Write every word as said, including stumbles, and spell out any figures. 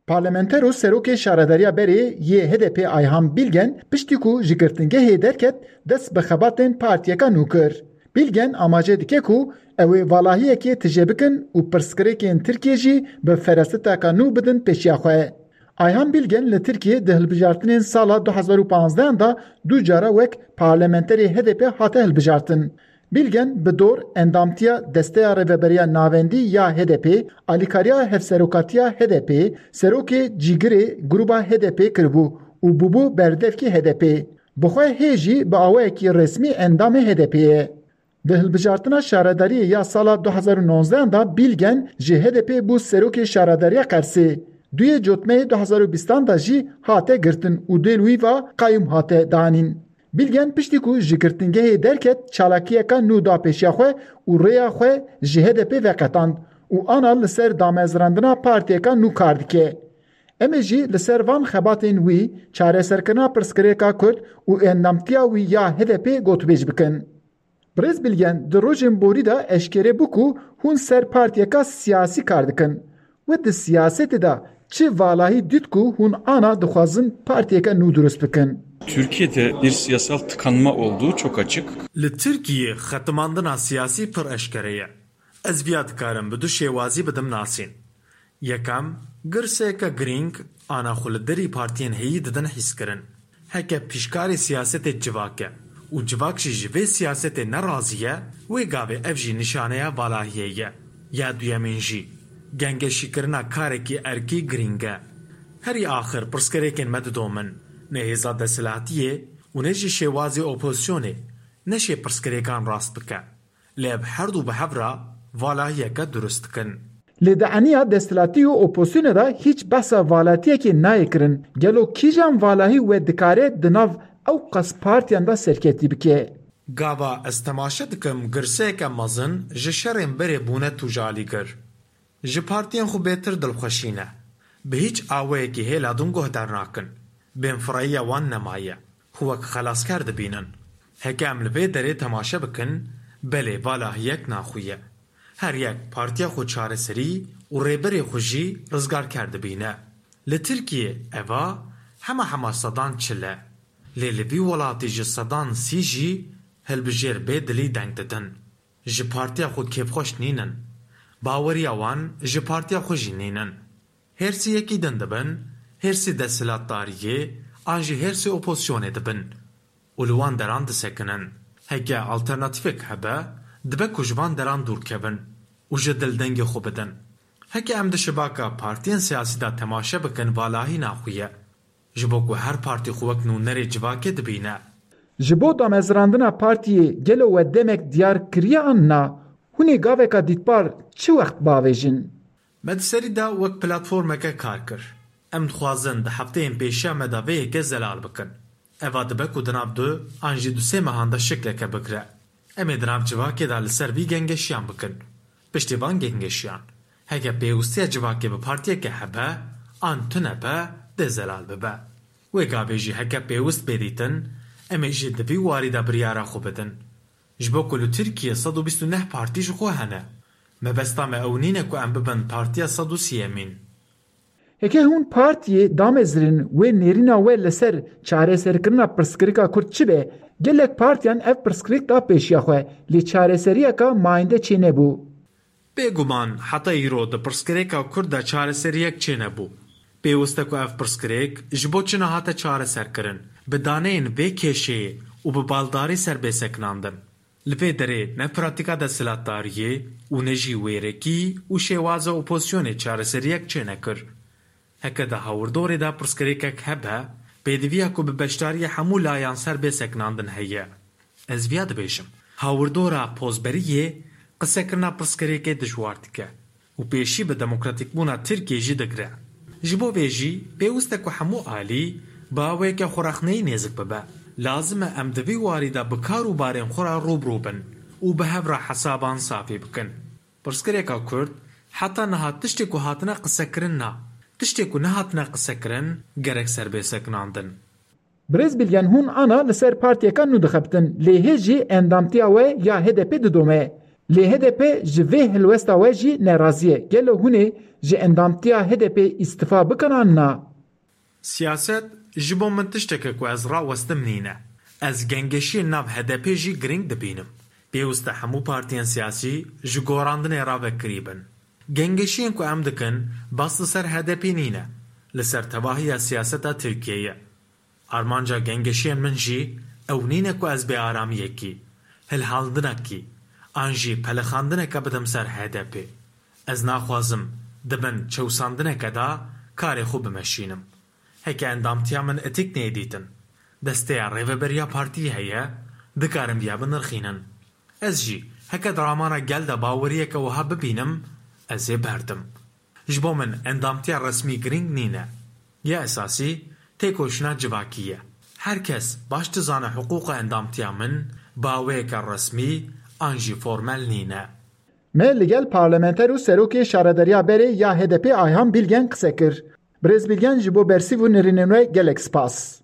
Parlamenter û serokê şaredariya berê yê H D P Ayhan Bilgen piştî ku ji girtingehê derket dest bi xebatên partiyeka nû kir. Bilgen amaje dike ku ew ê valahiyekê tije bikin û pirsgirêkên Tirkiyê jî bi ferasiteka nû bidin pêşiya xwe. Ayhan Bilgen li Tirkiyê di hilbijartinên sala du hezar û panzdeh de du cara wek parlamenterê H D P hate hilbijartin. Bilgen bi dor endamtiya Desteya Rêveberiya Navendî ya H D P, alîkariya hevserokatiya H D P, serokê cîgirê grûba H D P kiribû û bûbû berdevkî H D P. Bi xwe hê jî bi awayekî resmî endamê H D P ye. Di hilbijartina şaredariyê ya sala du hezar û nonzdeh de Bilgen ji H D P bû serokê şaredariya Qersê. Duyê cotmeyê du hezar û bîstan de jî hate girtin û dê li wî va qayûm hate danîn. Bilgen piştî ku ji girtingehê derket çalakiyeka nû da pêşiya xwe û rêya xwe ji H D P veqetand û ana li ser damezrandina partiyeka nû kar dike. Em ê jî li ser van xebatên wî, çareserkirina pirsgirêka Kurd û endamtiya wî ya H D P gotûbêj bikin. Birêz Bilgen di rojên borî de eşkere bû ku hûn ser partiyeka siyasî kar dikin. We di siyasetê de çi valahî dît ku hûn ana dixwazin partiyeke nû durust bikin? Türkiye'de bir siyasal tıkanma olduğu çok açık. Li Tirkiyê xetimandina siyasî pir eşkere ye. Ez viya dikarim bi du şêwazî bidim nasîn. Yekem, girseyeke girîng ana xwe li derî partiyên heyî didin hîskirin. Heke pîşkarê siyasetê civak e û civak jî ji vê siyasetê nerazî ye, wê gavê ev jî nîşaneya valahiyê ye. Ya duyemîn jî, gengeşîkirina karekî erkî girîng e. Herî axir pirsgirêkên me didomin, ne hêza desthilatiyê û ne jî şêwazê opozisyonê neşê pirsgirêkan rast bike. Lê ev her du bi hev re valahiyeke durust dikin. Lê di eniya desthilatî û opozisyonê de hîç behsa valatiyekê nayê kirin. Gelo kîjan valahî we dikare di nav ew qas partiyan de serketî bike? Gava ez temaşe dikim girseyeke mezin ji şerên berê bûne tûjalîgir. Ji partiyên xwe bêtir dilxweşî ne. Bi hîç awayekî hêla din guhdar nakin. Bênfireyiya wan nemaye. Xwe wek xelasker dibînin. Heke em li vê derê temaşe bikin, belê valahiyek naxuye. Her yek partiya xwe çareserî û rêberê xwe jî rizgarker dibîne. Li Tirkiyê eva hema hema sedan çil e. Lê li vî welatî ji sedan sî jî hilbijêr bê dilî deng didin. Ji partiya xwe kêfxweş nînin. Baweriya wan ji partiya xwe jî nînin. Hêrsî yekî din dibin, hêrsî desthilatdariyê an jî hêrsî opozisyonê dibin û li wan deran disekinin. Heke alternatîfek hebe, dibe ku ji van deran dûr kevin û ji dil dengê xwe bidin. Heke em di şibaka partiyên siyasî de temaşe bikin valahî naxuye. Ji bo ku her partî xwe wek nûnerê civakê dibîne. Ji bo damezrandina partiyê gelo we demek diyar kiriye an na? Hûn ê gaveka dîtbar çi wext bavêjin? Me di serî de wek platformeke kar kir. Em dixwazin di hefteyên pêşiya me de vê yekê zelal bikin. Eva dibe ku di nav du an jî du sê mehan de şikleke bigre. Em ê di nav civakê de li ser vî gengeşiyan bikin. Piştî van gengeşiyan, heke pêwistiya civakê bi partiyeke hebe an tune be, dê zelal bibe. Wê gavê jî heke pêwist bê dîtin, em ê jî di vî warî de biryara xwe bidin. Ji bo ku li Tirkiyê sed û bîst û neh partî ji xwe hene. Mebesta me ew nîne ku em bibin partiya sed û sîyemîn. Heke hûn partiyê damezrin wê nêrîna we li ser çareserkirina pirsgirêka Kurd çi be, gelek partiyan ev pirsgirêk da pêşiya xwe, lê çareseriyeka mayînde çênebû. Bêguman heta îro di pirsgirêka Kurd de çareseriyek çênebû. Pêwist e ku ev pirsgirêk ji bo çi nehate çareserkirin, bi daneyên vê kêşeyê û bi baldarî ser bê sekinandin. Li vê derê ne pratîka desthilatdariyê û ne jî wêrekî û şêwaza opozisyonê çareseriyek çênekir. Heke di hawirdorê de pirsgirêkek hebe, pêdiviya ku bi beşdariya hemû layan ser bê sekinandin heye. Ez viya dibêjim, hawirdora pozberiyê qisekirina pirsgirêkê dijwar dike û pêşî bi demokratîkbûna Tirkiyê jî digre. Ji bo vê jî pêwist e ku hemû alî bi awayeke xwerexneyî nêzik bibe. Lazim e em di vî warî de bi kar û barên xwe re rû bi rû bin û bi hev re hesaban safî bikin. Pirsgirêka Kurd heta niha tiştê ku hatine qisekirin na. Tiştê ku nehatine qisekirin gerek ser bê sekinandin. Birêz Bilgen hûn ana li ser partiyeka nû dixebtin, lê hê jî endamtiya we ya H D P didome. Lê H D P ji vê helwesta we jî nerazî ye. Gelo hûn ê ji endamtiya H D P îstifa bikin an na? Siyaset ji bo min tiştek e ku ez rawestim nîne. Ez gengeşiyên nav H D P jî girîng dibînim. Pêwist e hemû partiyên siyasî ji gorandinê re vekirî bin. Gengeşiyên ku em dikin bas li ser H D P nîne. Li ser tevahiya siyaseta Tirkiyeyê ye. Armanca gengeşiyên min jî ew nîne ku ez bêaramiyekî, hilhandinekî an jî pelixandineke bidim ser H D P. Ez naxwazim di bin çewsandineke de karê xwe bimeşînim. Heke endamtiya min etîk neyê dîtin, desteya rêveberiya partiyê heye, dikarin viya binirxînin. Ez jî heke di ramana gel de baweriyeke wiha bibînim, ez ê berdim. Ji bo min endamtiya resmî girîng nîne. Ya esasî têkoşîna civakî ye. Her kes baş dizane hiqûqa endamtiya min baweyeke resmî an jî formel nîne. Me li gel parlamenter û serokê şaredariya berê ya H D P Ayhan Bilgen qise kir. Birêz Bilgen, ji bo bersîv û nirînên we gelek spas.